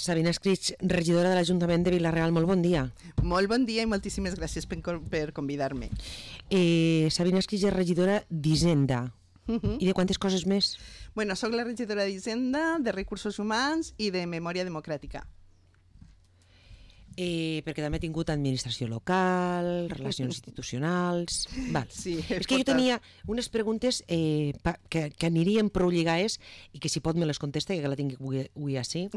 Sabina Escrig, regidora de l'Ajuntament de Vila-real, molt bon dia. Molt bon dia i moltíssimes gràcies per convidar-me. Sabina Escrig és regidora d'Hisenda. I de quantes coses més? Bueno, soc la regidora d'Hisenda, de Recursos Humans i de Memòria Democràtica. Perquè també he tingut administració local, relacions institucionals... Val. Sí, és que jo tenia unes preguntes que anirien prou lligades i que si pot me les contesta, que la tinc avui així.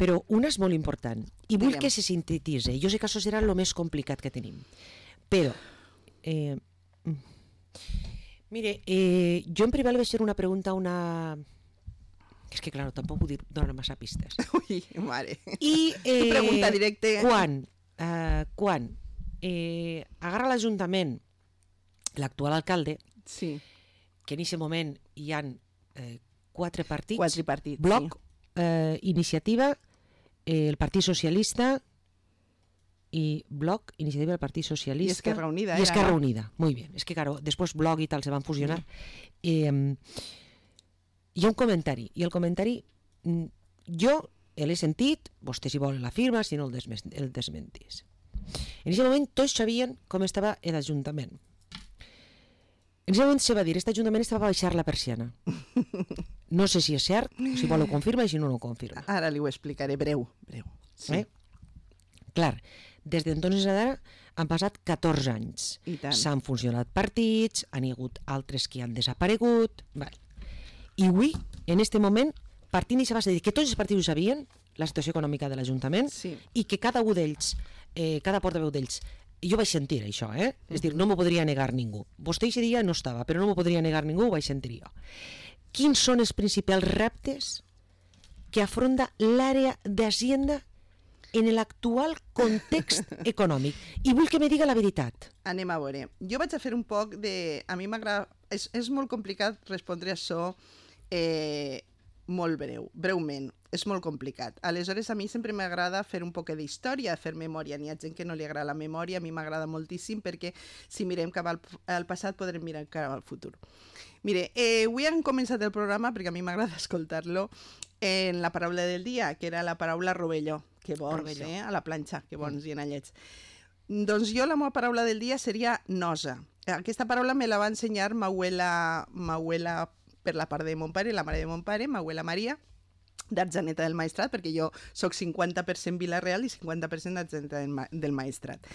Però una és molt important i vull que se sintetitzi. Jo sé que això serà el més complicat que tenim. Però... mire, jo en privat li vaig fer una pregunta a una... És que, clar, tampoc vull donar massa pistes. Ui, mare. I pregunta directa. Quan agarra l'Ajuntament l'actual alcalde, sí, que en aquest moment hi ha 4 partits, sí. Bloc, Iniciativa, el Partit Socialista i Bloc, Iniciativa del Partit Socialista i Esquerra Unida. I Esquerra Unida, muy bien. És que, claro, després Bloc i tal se van fusionar. Hi ha un comentari, i el comentari jo l'he sentit, vostè si vol la firma, si no el desmentís. En aquest moment tots sabien com estava l'Ajuntament. En aquest moment se va dir, aquest Ajuntament estava a baixar la persiana. No sé si és cert, si vol ho confirma i si no ho confirma. Ara li ho explicaré, breu. Sí. Clar, des d'entonces a d'ara han passat 14 anys. S'han funcionat partits, han hagut altres que han desaparegut... I avui, en aquest moment, partint i se va dir que tots els partits ho sabien, la situació econòmica de l'Ajuntament, i que cada un d'ells, cada portaveu d'ells, jo vaig sentir això, és dir, no m'ho podria negar ningú. Vostè aquest dia no estava, però no m'ho podria negar ningú, ho vaig sentir jo. Quins són els principals reptes que afronta l'àrea d'Hacienda en l'actual context econòmic? I vull que me diga la veritat. Anem a veure. Jo vaig a fer un poc de... A mi m'agrada... És molt complicat respondre a això molt breument. És molt complicat. Aleshores, a mi sempre m'agrada fer un poc d'història, fer memòria. N'hi ha gent que no li agrada la memòria, a mi m'agrada moltíssim perquè si mirem cap al passat podrem mirar cap al futur. Mire, avui hem començat el programa, perquè a mi m'agrada escoltar-lo, en la paraula del dia, que era la paraula rovelló. Que bons, a la planxa, que bons i anallets. Doncs jo la meva paraula del dia seria nosa. Aquesta paraula me la va ensenyar ma abuela per la part de mon pare, la mare de mon pare, ma abuela Maria, d'Argeneta del Maestrat, perquè jo soc 50% Vila-real i 50% d'Argeneta del Maestrat.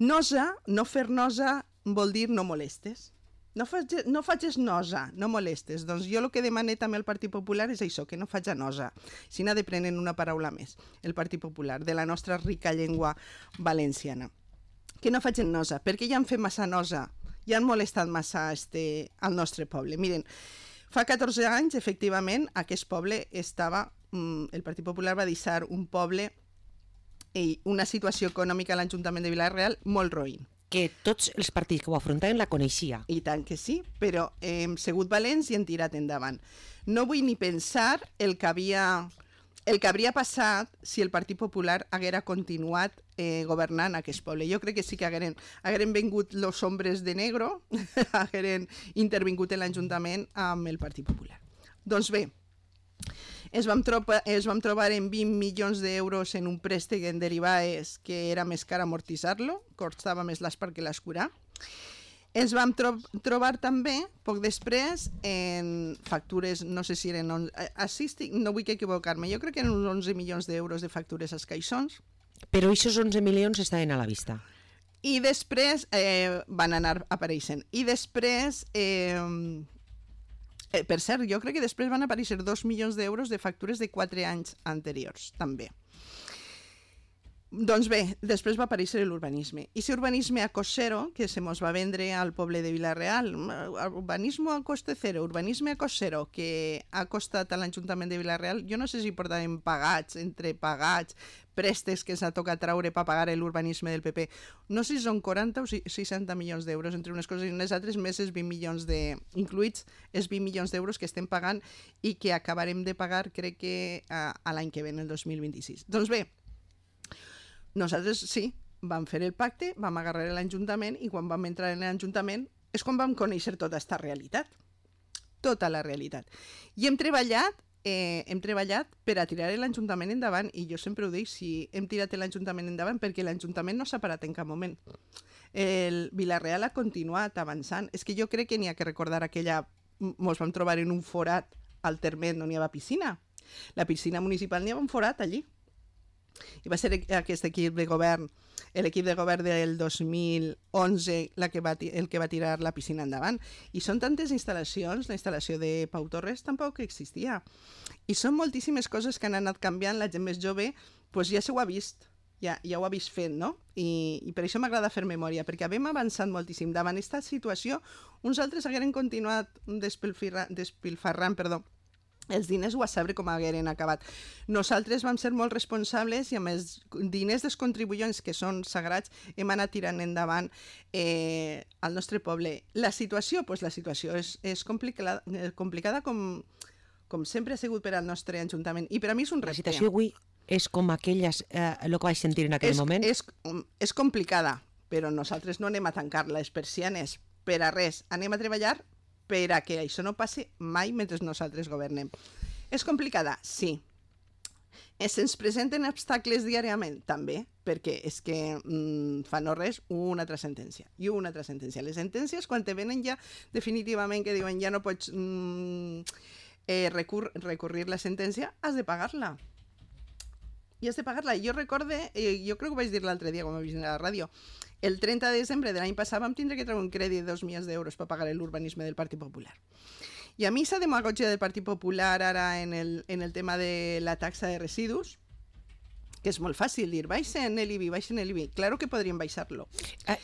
Nosa, no fer nosa, vol dir no molestes. No facis nosa, no molestes. Doncs jo el que demane també al Partit Popular és això, que no faig nosa. Si n'ha de prendre una paraula més, el Partit Popular, de la nostra rica llengua valenciana. Que no facin nosa, perquè ja han fet massa nosa, ja han molestat massa al nostre poble. Miren, fa 14 anys, efectivament, aquest poble estava... El Partit Popular va deixar un poble i una situació econòmica a l'Ajuntament de Vila-real molt roïn. Que tots els partits que ho afrontaven la coneixia. I tant que sí, però hem sigut valents i hem tirat endavant. No vull ni pensar el que hauria passat si el Partit Popular haguera continuat governant aquest poble. Jo crec que sí que hagueren vengut los hombres de negro, hagueren intervingut en l'Ajuntament amb el Partit Popular. Doncs bé, ens vam trobar en 20 milions d'euros en un préstec en derivades que era més car amortitzar-lo, costava més l'espart que l'escurar. Ens vam trobar també, poc després, en factures, no sé si eren... no vull equivocar-me, jo crec que eren uns 11 milions d'euros de factures als caixons. Però aquests 11 milions estaven a la vista. I després van anar apareixent. I després... per cert, jo crec que després van aparèixer 2 milions d'euros de factures de 4 anys anteriors, també. Doncs bé, després va aparèixer l'urbanisme. I si urbanisme a cost zero, que se mos va vendre al poble de Vila-real, urbanisme a coste zero, urbanisme a cost zero, que ha costat a l'Ajuntament de Vila-real, jo no sé si portaven pagats, entre pagats, préstecs que s'ha tocat traure per pagar l'urbanisme del PP. No sé si són 40 o 60 milions d'euros entre unes coses i unes altres, més els 20 milions incluïts els 20 milions d'euros que estem pagant i que acabarem de pagar, crec que a l'any que ve, el 2026. Doncs bé, nosaltres sí, vam fer el pacte, vam agarrar l'Ajuntament i quan vam entrar en l'Ajuntament és quan vam conèixer tota aquesta realitat. Tota la realitat. I hem treballat hem treballat per a tirar l'Ajuntament endavant, i jo sempre ho dic, si hem tirat l'Ajuntament endavant perquè l'Ajuntament no s'ha parat en cap moment. El Vila-real ha continuat avançant. És que jo crec que n'hi ha que recordar aquella... Ens vam trobar en un forat al terme on hi havia piscina. La piscina municipal n'hi havia un forat allí. I va ser aquest equip de govern, l'equip de govern del 2011 el que va tirar la piscina endavant. I són tantes instal·lacions, la instal·lació de Pau Torres tampoc existia. I són moltíssimes coses que han anat canviant, la gent més jove doncs ja s'ho ha vist, ja ho ha vist fent, no? I per això m'agrada fer memòria, perquè hem avançat moltíssim. Davant aquesta situació, uns altres hagueren continuat despilfarrant, els diners ho a saber com hagueren acabat. Nosaltres vam ser molt responsables i amb els diners dels contribuents, que són sagrats, hem anat tirant endavant al nostre poble. La situació és complicada com sempre ha sigut per al nostre Ajuntament. I per a mi és un repte. La situació avui és com aquelles, el que vaig sentir en aquell moment? És complicada, però nosaltres no anem a tancar les persianes per a res. Anem a treballar per a que això no passi mai mentre nosaltres governem. És complicada? Sí. Se'ns presenten obstacles diàriament? També, perquè és que fa no res una altra sentència. I una altra sentència. Les sentències, quan te venen ja definitivament que diuen ja no pots recurrir la sentència, has de pagar-la. I has de pagar-la. Jo recorde, jo crec que ho vaig dir l'altre dia quan vaig venir a la ràdio, el 30 de desembre de l'any passat vam tindre que treure un crèdit de 2 milions d'euros per pagar l'urbanisme del Partit Popular. I a mi s'ha demagogia del Partit Popular ara en el tema de la taxa de residus, que és molt fàcil dir, baixen l'IBI. Claro que podríem baixar-lo.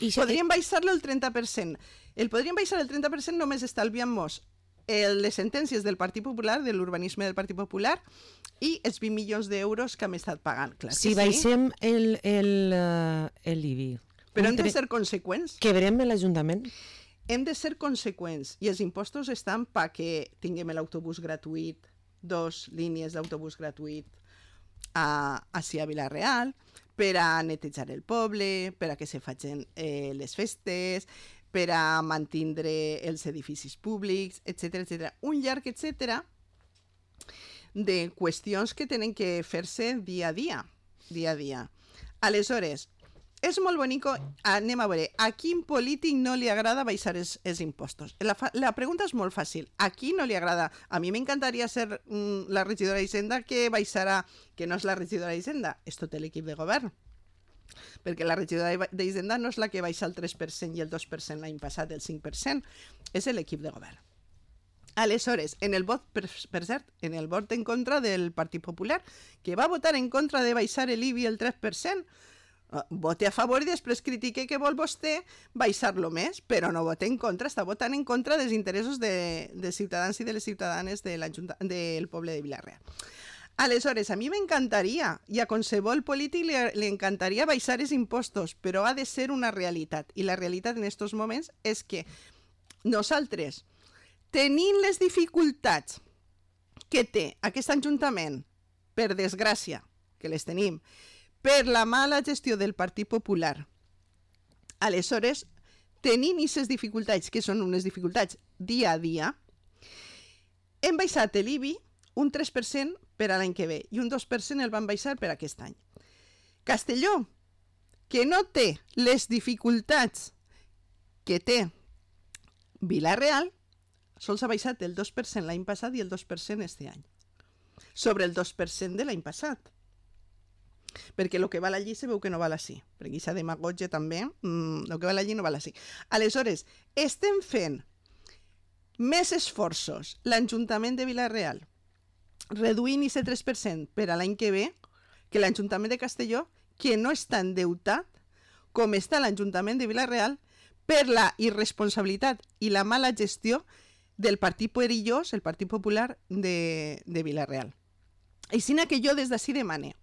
Podríem baixar-lo el 30%. El podríem baixar el 30% només estalviant-nos les sentències del Partit Popular, de l'urbanisme del Partit Popular, i els 20 milions d'euros que hem estat pagant. Clar si baixem l'IBI... Però hem de ser conseqüents. Que verem l'Ajuntament? Hem de ser conseqüents i els impostos estan perquè tinguem l'autobús gratuït, 2 línies d'autobús gratuït ací a Vila-real, per a netejar el poble, per a que se facin les festes, per a mantindre els edificis públics, etc. Un llarg etcètera de qüestions que tenen que fer-se dia a dia. Aleshores, és molt bonico, anem a veure, a quin polític no li agrada baixar els impostos? La pregunta és molt fàcil. A qui no li agrada? A mi m'encantaria ser la regidora d'Hisenda que baixarà, que no és la regidora d'Hisenda, és tot l'equip de govern. Perquè la regidora d'Hisenda no és la que baixa el 3% i el 2% l'any passat, el 5%, és l'equip de govern. Aleshores, en el vot, per cert, en el vot en contra del Partit Popular, que va votar en contra de baixar l'IBI el 3%, vote a favor i després critique que vol vostè baixar-lo més, però no vote en contra, està votant en contra dels interessos de ciutadans i de les ciutadanes del poble de Vila-real. Aleshores, a mi m'encantaria, i a qualsevol polític li encantaria baixar els impostos, però ha de ser una realitat. I la realitat en aquests moments és que nosaltres, tenint les dificultats que té aquest Ajuntament, per desgràcia, que les tenim, per la mala gestió del Partit Popular. Aleshores, tenint aquestes dificultats, que són unes dificultats dia a dia, hem baixat l'IBI un 3% per a l'any que ve i un 2% el van baixar per aquest any. Castelló, que no té les dificultats que té Vila-real, sols ha baixat el 2% l'any passat i el 2% este any. Sobre el 2% de l'any passat. Perquè el que val allí se veu que no val així. Perquè aquesta demagogia també, el que val allí no val així. Aleshores, estem fent més esforços l'Ajuntament de Vila-real, reduint aquest 3% per a l'any que ve, que l'Ajuntament de Castelló, que no està endeutat com està l'Ajuntament de Vila-real per la irresponsabilitat i la mala gestió del partit perillós, el Partit Popular de Vila-real. Així que jo des d'ací demane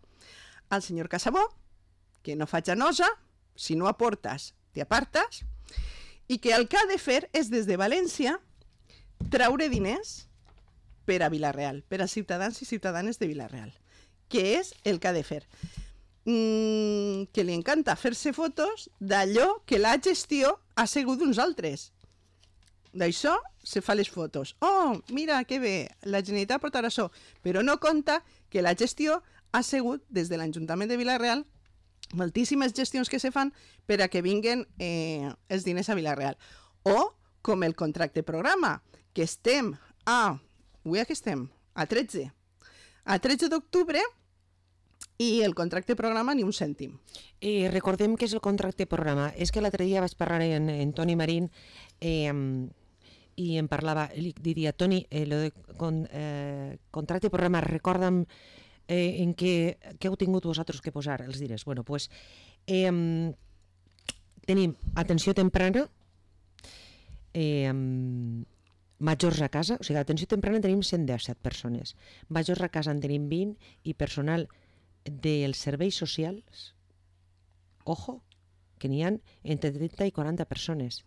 al senyor Casabó que no faig anosa, si no aportes, t'apartes, i que el que ha de fer és des de València traure diners per a Vila-real, per als ciutadans i ciutadanes de Vila-real, que és el que ha de fer. Que li encanta fer-se fotos d'allò que la gestió ha sigut d'uns altres. d'això se fa les fotos. Oh, mira, que bé, la Generalitat portarà això. Però no compta que la gestió ha sigut, des de l'Ajuntament de Vila-real, moltíssimes gestions que se fan per a que vinguen els diners a Vila-real. O, com el contracte programa, que estem avui que estem? A 13. A 13 d'octubre, i el contracte programa ni un cèntim. Recordem què és el contracte programa. És que l'altre dia vaig parlar amb Toni Marín i em parlava, li diria, Toni, lo de contracte programa, recorda'm en què heu tingut vosaltres que posar els diners. Bueno, doncs tenim atenció temprana, majors a casa, o sigui, atenció temprana tenim 117 persones, majors a casa en tenim 20 i personal dels serveis socials, ojo, que n'hi ha entre 30 i 40 persones,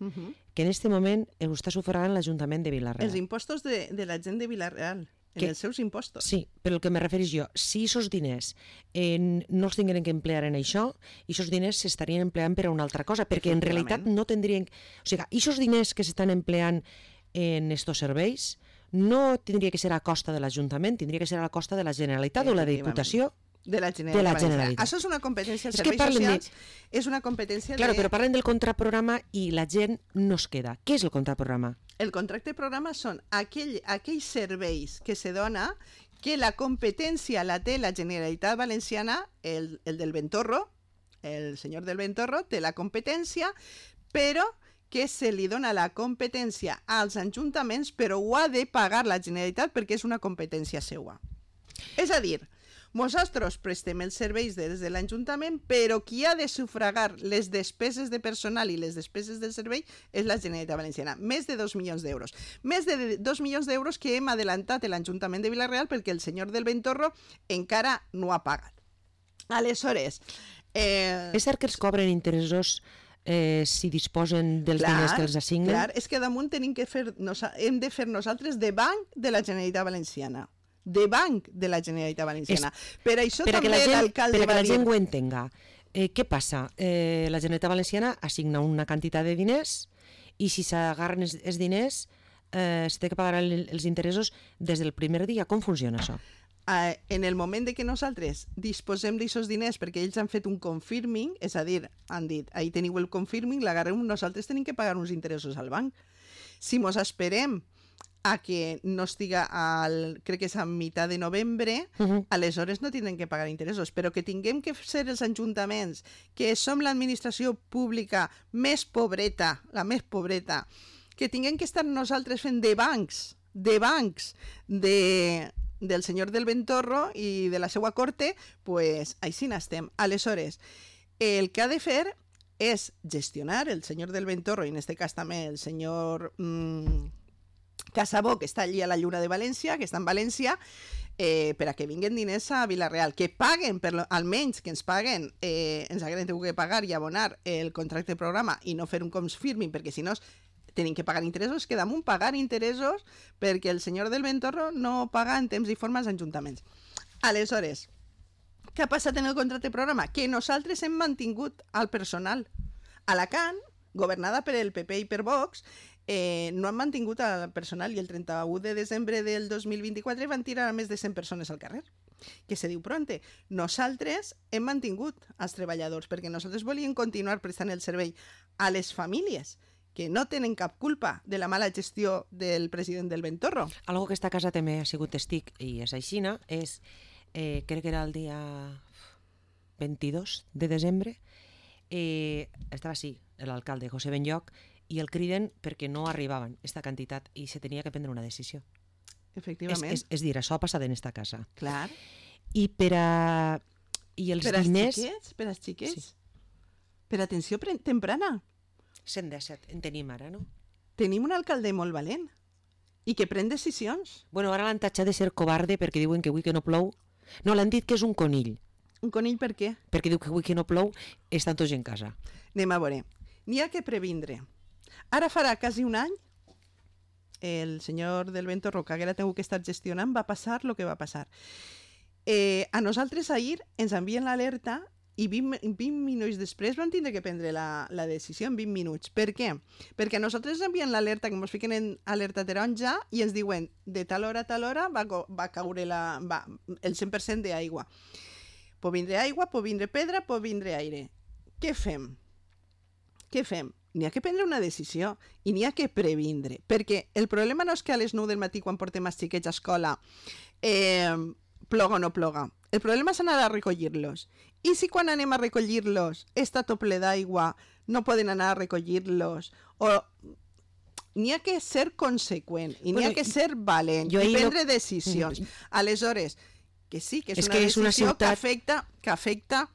que en aquest moment ho està sufragant l'Ajuntament de Vila-real. Els impostos de la gent de Vila-real, els seus impostos. Sí, però el que me refereix jo, si aquests diners no els tingueren que emplear en això, aquests diners s'estarien empleant per a una altra cosa, perquè en realitat no tindrien... O sigui, aquests diners que s'estan empleant en aquests serveis no tindria que ser a costa de l'Ajuntament, tindria que ser a la costa de la Generalitat o la Diputació de la Generalitat. Això és una competència, els serveis socials és una competència Claro, però parlen del contraprograma i la gent no es queda. Què és el contraprograma? El contracte programa són aquells serveis que se dona que la competència la té la Generalitat Valenciana, el del Ventorro, el senyor del Ventorro té la competència, però que se li dona la competència als ajuntaments, però ho ha de pagar la Generalitat perquè és una competència seua. És a dir, nosaltres prestem els serveis des de l'Ajuntament, però qui ha de sufragar les despeses de personal i les despeses del servei és la Generalitat Valenciana. Més de 2 milions d'euros. Més de 2 milions d'euros que hem adelantat l'Ajuntament de Vila-real perquè el senyor del Ventorro encara no ha pagat. Aleshores... És cert que els cobren interessos si disposen dels diners que els assignen? Clar, és que damunt hem de fer nosaltres de banc de la Generalitat Valenciana. De banc de la Generalitat Valenciana. Per això també l'alcalde va dir... Per que la gent ho entenga. Què passa? La Generalitat Valenciana assigna una quantitat de diners i si s'agarren els diners s'ha de pagar els interessos des del primer dia. Com funciona això? En el moment de que nosaltres disposem d'aquests diners perquè ells han fet un confirming, és a dir, han dit, ahí teniu el confirming, l'agarrem, nosaltres tenim que pagar uns interessos al banc. Si mos esperem a que no estiga crec que és a meitat de novembre, aleshores no tindrem que pagar interessos, però que tinguem que ser els ajuntaments, que som l'administració pública més pobreta, la més pobreta, que tinguem que estar nosaltres fent de bancs del senyor del Ventorro i de la seva corte, pues així n'estem. Aleshores, el que ha de fer és gestionar el senyor del Ventorro, i en aquest cas també el senyor Casabó, que està allí a la Lluna de València, que està en València, per a que vinguen diners a Vila-real, que paguen, almenys que ens paguen, ens haguem de pagar i abonar el contracte programa i no fer un confirming, perquè si no tenim que pagar interessos, que damunt pagar interessos perquè el senyor del Ventorro no paga en temps i forma als ajuntaments. Aleshores, què ha passat en el contracte programa? Que nosaltres hem mantingut el personal. Alacant, governada per el PP i per Vox, no han mantingut el personal i el 31 de desembre del 2024 van tirar a més de 100 persones al carrer, que se diu pronte. Nosaltres hem mantingut els treballadors perquè nosaltres volíem continuar prestant el servei a les famílies que no tenen cap culpa de la mala gestió del president del Ventorro. Algo que esta casa també ha sigut testic i és aixina, és, crec que era el dia 22 de desembre, estava així l'alcalde José Benlloch i el criden perquè no arribaven aquesta quantitat i se tenia que prendre una decisió. Efectivament. És dir, això ha passat en esta casa. Clar. I per a... I els diners... Per als xiquets? Sí. Per atenció temprana? 117, en tenim ara, no? Tenim un alcalde molt valent i que pren decisions. Bueno, ara l'han tatxat de ser covarde perquè diuen que avui que no plou. No, l'han dit que és un conill. Un conill per què? Perquè diu que avui que no plou estan tots en casa. Anem a veure. N'hi ha que previndre. Ara farà quasi un any el senyor del Ventorro, que haguera tingut que estar gestionant, va passar el que va passar. A nosaltres ahir ens envien l'alerta i 20 minuts després vam tindre que prendre la decisió en 20 minuts. Per què? Perquè nosaltres enviem l'alerta, que ens fiquen en alerta taronja i ens diuen de tal hora a tal hora va caure el 100% d'aigua. Pot vindre aigua, pot vindre pedra, pot vindre aire. Què fem? N'hi ha que prendre una decisió i n'hi ha que previndre, perquè el problema no és que a les 9 del matí quan portem els xiquets a escola ploga o no ploga. El problema és anar a recollir-los. I si quan anem a recollir-los està tot ple d'aigua, no poden anar a recollir-los, o n'hi ha que ser conseqüent i n'hi ha que ser valent i prendre decisions. Aleshores, que sí, que és una decisió que afecta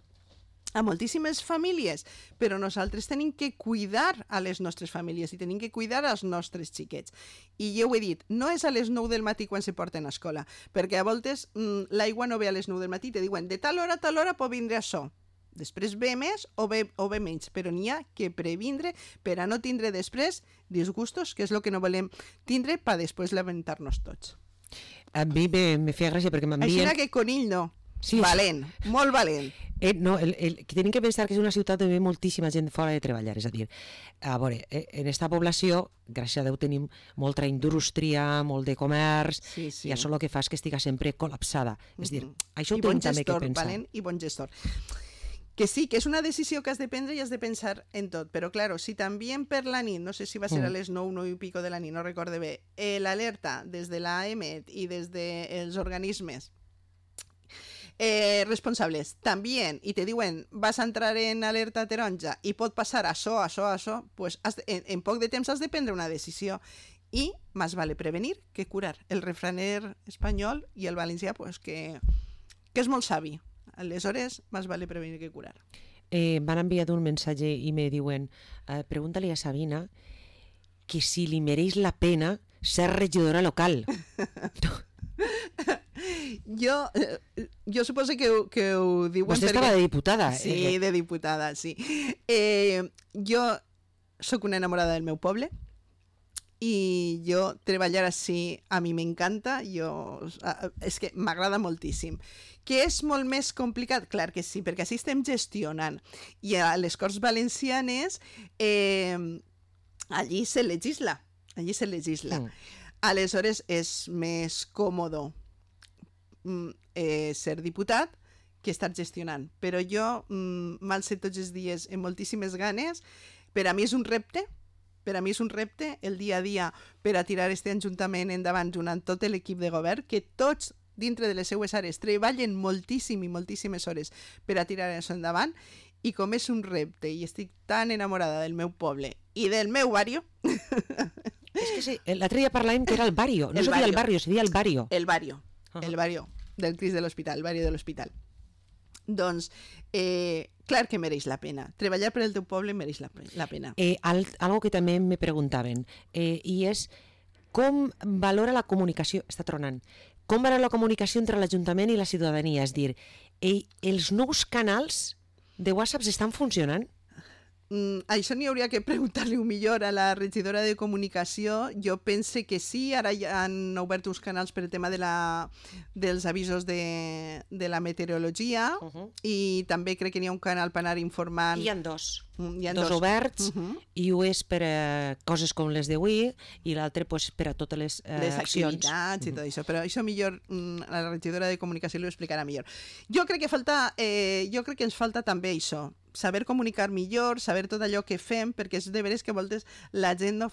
a moltíssimes famílies, però nosaltres tenim que cuidar a les nostres famílies i tenim que cuidar als nostres xiquets. I jo ho he dit, no és a les 9 del matí quan se porten a escola, perquè a voltes l'aigua no ve a les 9 del matí, te diuen de tal hora a tal hora pot vindre això. Després ve més o ve menys, però n'hi ha que previndre per a no tindre després disgustos, que és el que no volem tindre per després lamentar-nos tots. A mi me feia gràcia perquè m'envien... Així que Conill no. Sí, valent, molt valent. No, tenim que pensar que és una ciutat on hi ha moltíssima gent fora de treballar, és a dir, a veure, en aquesta població, gràcies a Déu, tenim molta indústria, molt de comerç, i això el que fa és que estiga sempre col·lapsada. És a dir, això ho tenim també que pensar. Valent i bon gestor. Que sí, que és una decisió que has de prendre i has de pensar en tot, però claro, si també per la nit, no sé si va ser a les 9 i pico de la nit, no recorde bé, l'alerta des de l'AEMET i des dels organismes responsables també, i te diuen vas a entrar en alerta taronja i pot passar això, pues en poc de temps has de prendre una decisió i més vale prevenir que curar. El refraner espanyol i el valencià pues, que és molt savi. Aleshores, més vale prevenir que curar. M'han enviat un missatge i me diuen pregúntale a Sabina que si li mereix la pena ser regidora local. Jo suposo que ho diuen... Vostè estava de diputada. Sí, de diputada, sí. Jo sóc una enamorada del meu poble i jo treballar així a mi m'encanta, és que m'agrada moltíssim. Que és molt més complicat? Clar que sí, perquè així estem gestionant. I a les Corts Valencianes allí se legisla. Aleshores és més còmode ser diputat que estar gestionant. Però jo m'alce tots els dies amb moltíssimes ganes. Per a mi és un repte, el dia a dia per a tirar aquest ajuntament endavant junt amb tot l'equip de govern, que tots dintre de les seues àrees treballen moltíssim i moltíssimes hores per a tirar això endavant, i com és un repte i estic tan enamorada del meu poble i del meu barrio... És que sí, l'altre dia parlàvem que era el barrio, no seria el barrio, seria el barrio. El barrio del Cris de l'Hospital, el barrio de l'Hospital. Doncs, clar que mereix la pena. Treballar per el teu poble mereix la pena. Algo que també me preguntaven, i és com valora la comunicació, està tronant, com valora la comunicació entre l'Ajuntament i la ciutadania? És dir, els nous canals de WhatsApp estan funcionant? Això n'hi hauria que preguntar-li millor a la regidora de comunicació. Jo pense que sí, ara ja han obert uns canals per el tema dels avisos de la meteorologia i també crec que n'hi ha un canal per anar informant. Hi ha dos oberts, i un és per a coses com les d'avui i l'altre pues, per a totes les accions. Activitats i tot això, però això millor la regidora de comunicació li ho explicarà millor. Jo crec que ens falta també això, saber comunicar millor, saber tot allò que fem, perquè és de veres que a voltes la gent no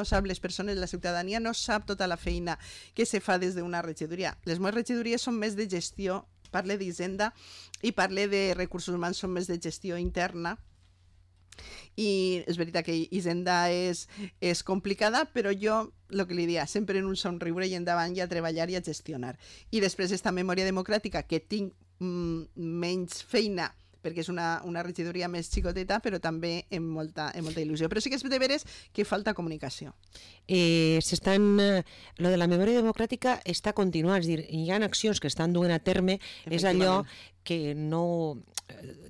sap, les persones, la ciutadania no sap tota la feina que se fa des d'una regidoria. Les meves regidories són més de gestió, parle d'Hisenda i parle de recursos humans, són més de gestió interna, i és veritat que Hisenda és complicada, però jo, el que li dia, sempre en un somriure i endavant i a treballar i a gestionar. I després esta memòria democràtica, que tinc menys feina, perquè és una regidoria més xicoteta, però també amb molta il·lusió. Però sí que és de veres que falta comunicació. Lo de la memòria democràtica està continuant, és a dir, hi ha accions que estan duent a terme, és allò que no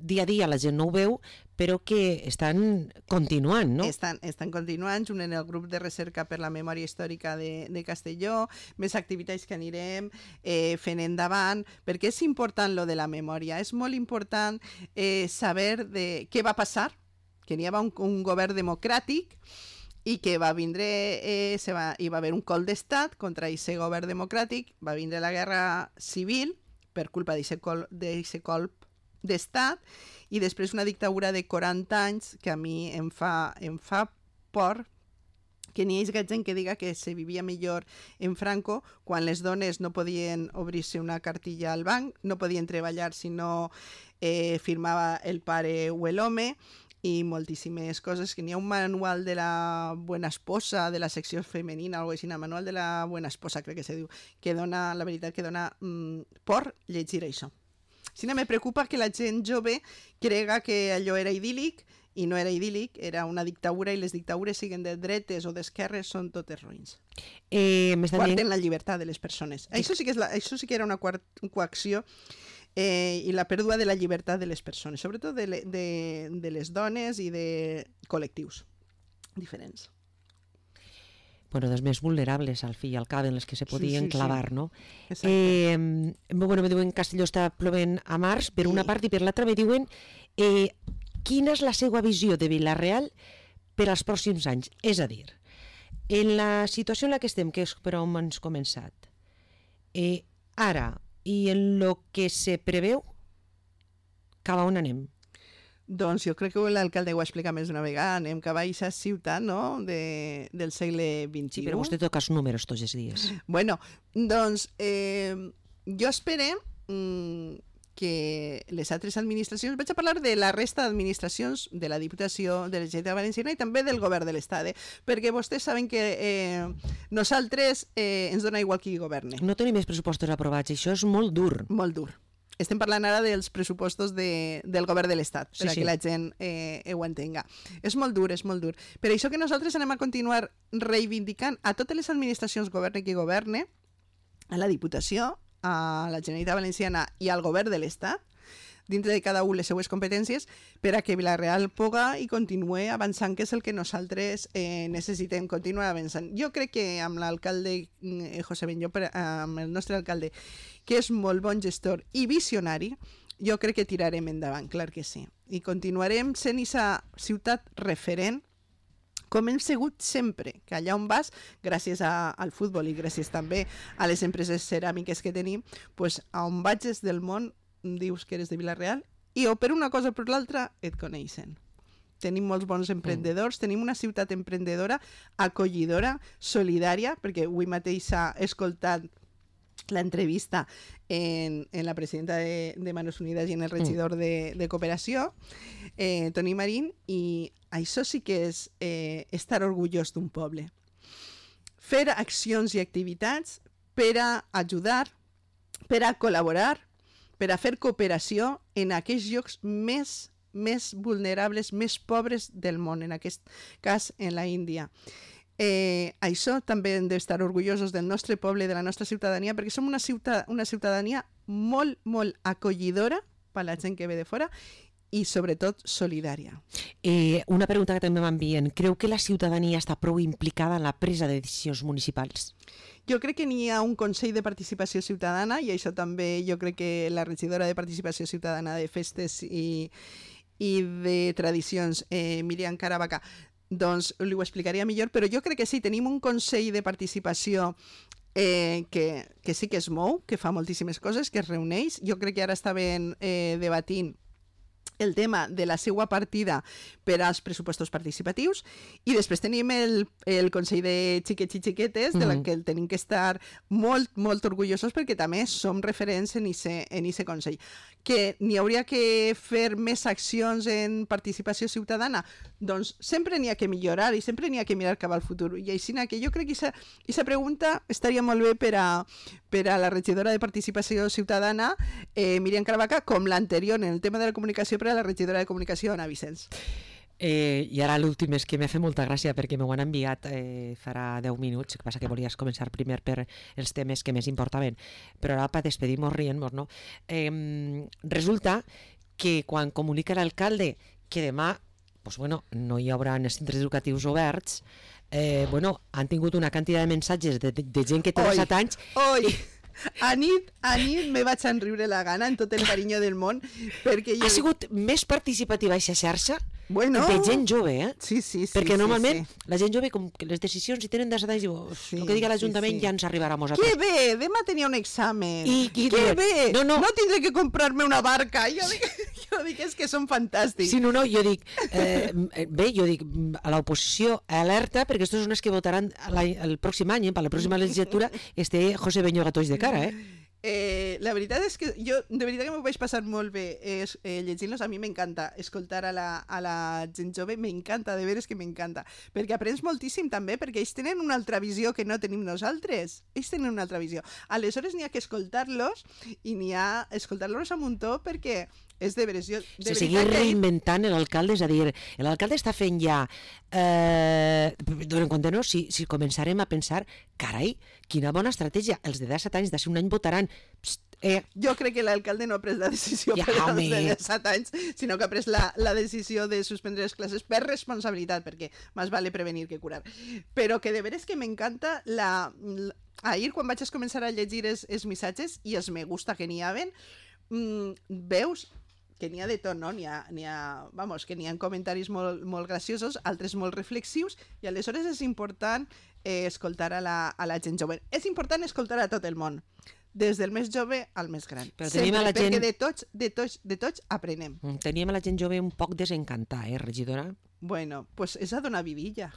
dia a dia la gent no ho veu, però que estan continuant, no? Estan continuant, junt en el grup de recerca per la memòria històrica de Castelló, més activitats que anirem fent endavant, perquè és important lo de la memòria, és molt important saber de què va passar, que n'hi havia un govern democràtic i que va vindre, hi va haver un cop d'estat contra aquest govern democràtic, va vindre la guerra civil per culpa d'aquest colp d'estat, i després una dictadura de 40 anys que a mi em fa por que n'hi hagi gent que diga que se vivia millor en Franco quan les dones no podien obrir-se una cartilla al banc, no podien treballar si no firmava el pare o l'home, i moltíssimes coses, que n'hi ha un manual de la Buena Esposa, de la secció femenina, algo així, el manual de la Buena Esposa, crec que se diu, que dona, la veritat, que dona por llegir això. Si no, me preocupa que la gent jove crega que allò era idíl·lic, i no era idíl·lic, era una dictadura, i les dictadures, siguen de dretes o d'esquerres, són totes ruïns. Quarten la llibertat de les persones. Això sí que era una coacció, i la pèrdua de la llibertat de les persones, sobretot de les dones i de col·lectius diferents. Bueno, dels més vulnerables, al fi i al cap, en les que se podien clavar, no? Exacte. Bueno, me diuen que Castelló està plovent a març, per una part, i per l'altra me diuen quina és la seva visió de Vila-real per als pròxims anys. És a dir, en la situació en la que estem, que és per on ens començat, ara, i en lo que se preveu, cap a on anem? Doncs jo crec que l'alcalde ho ha explicat més d'una vegada, anem cap a aquesta ciutat, no?, del segle XXI. Sí, però vostè toca els números tots els dies. Bueno, doncs jo espero que les altres administracions, vaig a parlar de la resta d'administracions de la Diputació de la Generalitat Valenciana i també del Govern de l'Estat, perquè vostès saben que nosaltres ens dona igual qui governe. No tenim més pressupostos aprovats, això és molt dur. Molt dur. Estem parlant ara dels pressupostos del Govern de l'Estat, perquè la gent ho entenga. És molt dur, és molt dur. Per això que nosaltres anem a continuar reivindicant a totes les administracions, governe qui governe, a la Diputació, a la Generalitat Valenciana i al Govern de l'Estat, dintre de cada un les seues competències, per a que Vila-real puga i continuï avançant, que és el que nosaltres necessitem, continuar avançant. Jo crec que amb l'alcalde José Benllo, amb el nostre alcalde, que és molt bon gestor i visionari, jo crec que tirarem endavant, clar que sí. I continuarem sent aquesta ciutat referent, com hem sigut sempre, que allà on vas, gràcies al futbol i gràcies també a les empreses ceràmiques que tenim, pues, a on vagis del món dius que eres de Vila-real i o per una cosa o per l'altra et coneixen. Tenim molts bons emprendedors, tenim una ciutat emprendedora, acollidora, solidària, perquè avui mateix s'ha escoltat l'entrevista en la presidenta de Manos Unidas i en el regidor de Cooperació, Toni Marín, i això sí que és estar orgullós d'un poble. Fer accions i activitats per a ajudar, per a col·laborar, per a fer cooperació en aquells llocs més vulnerables, més pobres del món, en aquest cas en la Índia. Això també hem d'estar orgullosos del nostre poble, de la nostra ciutadania, perquè som una ciutadania molt, molt acollidora per a la gent que ve de fora i sobretot solidària. Una pregunta que també m'envien. Creu que la ciutadania està prou implicada en la presa de decisions municipals? Jo crec que n'hi ha un Consell de Participació Ciutadana, i això també jo crec que la regidora de Participació Ciutadana de Festes i de Tradicions, Míriam Caravaca, doncs li ho explicaria millor, però jo crec que sí, tenim un Consell de Participació que sí que es mou, que fa moltíssimes coses, que es reuneix. Jo crec que ara estaven debatint el tema de la seva partida per als pressupostos participatius, i després tenim el Consell de Xiquets i Xiquetes, de la que tenim que estar molt, molt orgullosos, perquè també som referents en aquest Consell. Que n'hi hauria que fer més accions en participació ciutadana? Doncs sempre n'hi ha que millorar i sempre n'hi ha que mirar cap al futur. I així que jo crec que aquesta pregunta estaria molt bé per a la regidora de Participació Ciutadana, Míriam Caravaca, com l'anterior en el tema de la comunicació per a la regidora de Comunicació, Ana Vicenç. I ara l'últim és que m'ha fet molta gràcia perquè m'ho han enviat farà 10 minuts, que passa que volies començar primer per els temes que més importaven, però ara per despedir-nos rient-nos, no? Resulta que quan comunica l'alcalde que demà no hi haurà els centres educatius oberts, han tingut una quantitat de missatges de gent que té 17 anys. A nit me vaig enriure la gana en tot el carinyo del món perquè ha sigut més participativa aquesta xarxa de gent jove, Sí, perquè normalment la gent jove, com que les decisions si tenen 17 anys, diu, el que digui l'Ajuntament ja ens arribarà a nosaltres. Que bé, demà tenia un examen. Que bé, no tindré que comprar-me una barca. Jo dic, és que són fantàstics. Sí, jo dic, a l'oposició alerta, perquè aquests són els que votaran el pròxim any, per la pròxima legislatura, José Beñó Gatoix de cara, La veritat és que jo de veritat que m'ho vaig passar molt bé llegint-los. A mi m'encanta escoltar a la gent jove, m'encanta, de veres que m'encanta, perquè aprens moltíssim també, perquè ells tenen una altra visió que no tenim nosaltres. Ells tenen una altra visió. Aleshores n'hi ha que escoltar-los i n'hi ha escoltar-los a muntó, perquè és de veres. Se seguir reinventant l'alcalde, és a dir, l'alcalde està fent ja donen compte, no? Si començarem a pensar, carai, quina bona estratègia, els de 17 anys d'ací un any votaran. Jo crec que l'alcalde no ha pres la decisió per als de 17 anys, sinó que ha pres la decisió de suspendre les classes per responsabilitat, perquè més vale prevenir que curar. Però que de veres que m'encanta ahir, quan vaig començar a llegir els missatges i els me gusta que n'hi haven, veus que n'hi ha de tot, no? Que n'hi ha comentaris molt graciosos, altres molt reflexius, i aleshores és important escoltar a la gent jove. És important escoltar a tot el món, des del més jove al més gran. Sempre, perquè de tots aprenem. Teníem a la gent jove un poc desencantada, regidora? Bueno, pues és a donar vidilla.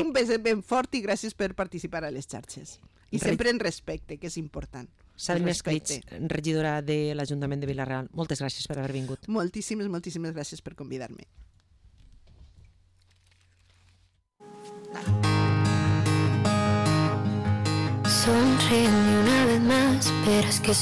Un beset ben fort i gràcies per participar a les xarxes. I sempre en respecte, que és important. Salma Escaig, regidora de l'Ajuntament de Vila-real, moltes gràcies per haver vingut. Moltíssimes gràcies per convidar-me. Sonríe una vez más, verás que